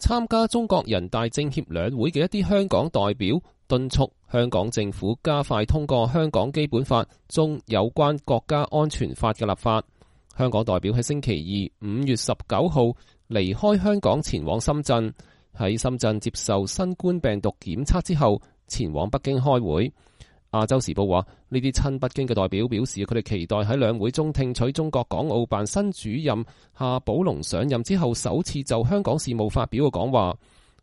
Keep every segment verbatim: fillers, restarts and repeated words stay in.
參加中國人大政協兩會嘅一啲香港代表敦促香港政府加快通過香港基本法中有關國家安全法嘅立法。香港代表喺星期二五月十九號離開香港前往深圳，喺深圳接受新冠病毒檢測之後前往北京開會。亞洲時報話，呢啲親北京嘅代表表示，佢哋期待喺兩會中聽取中國港澳辦新主任夏寶龍上任之後首次就香港事務發表嘅講話。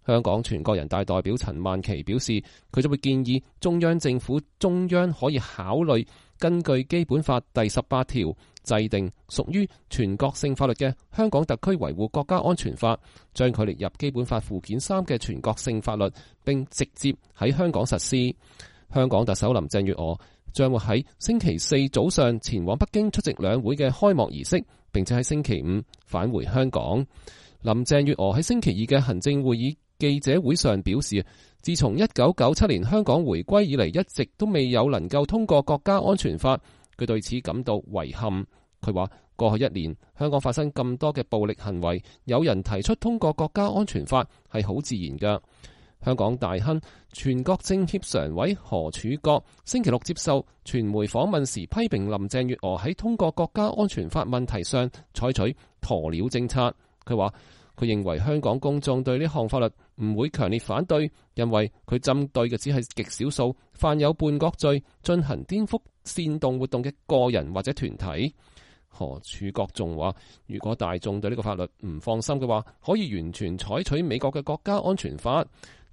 香港全國人大代表陳曼琪表示，佢就會建議中央政府中央可以考慮根據基本法第十八條制定屬於全國性法律嘅香港特區維護國家安全法，將佢列入基本法附件三嘅全國性法律，並直接喺香港實施。香港特首林鄭月娥將會喺星期四早上前往北京出席兩會嘅開幕儀式，並且喺星期五返回香港。林鄭月娥喺星期二嘅行政會議記者會上表示，自從一九九七年香港回歸以嚟，一直都未有能夠通過國家安全法，佢對此感到遺憾。佢話過去一年香港發生咁多嘅暴力行為，有人提出通過國家安全法係好自然㗎。香港大亨、全國政協常委何柱國星期六接受傳媒訪問時，批評林鄭月娥喺通過國家安全法問題上採取鴕鳥政策。佢話佢認為香港公眾對呢項法律唔會強烈反對，因為佢針對嘅只係極少數犯有叛國罪、進行顛覆煽動活動嘅個人或者團體。何柱國仲話，如果大眾對呢個法律唔放心嘅話，可以完全採取美國嘅國家安全法。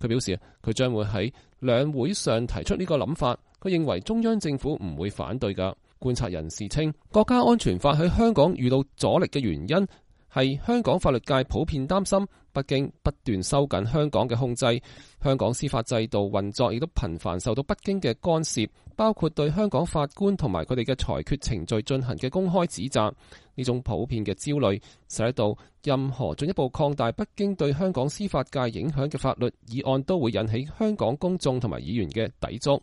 佢表示，佢將會喺兩會上提出呢個諗法。佢認為中央政府唔會反對㗎。觀察人士稱，國家安全法喺香港遇到阻力嘅原因係香港法律界普遍擔心北京不斷收緊香港嘅控制，香港司法制度運作亦都頻繁受到北京嘅干涉，包括對香港法官同埋佢哋嘅裁決程序進行嘅公開指責。呢種普遍嘅焦慮，使到任何進一步擴大北京對香港司法界影響嘅法律議案都會引起香港公眾同埋議員嘅抵觸。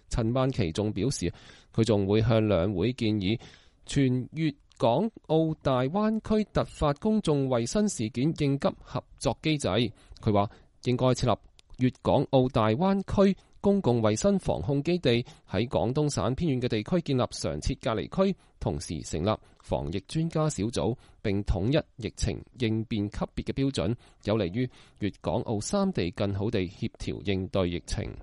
陳曼琪仲表示，佢仲會向兩會建議全粵港澳大灣區突發公眾衛生事件應急合作機制。佢話應該設立粵港澳大灣區公共衛生防控基地，喺廣東省偏遠嘅地區建立常設隔離區，同時成立防疫專家小組，並統一疫情應變級別嘅標準，有利於粵港澳三地更好地協調應對疫情。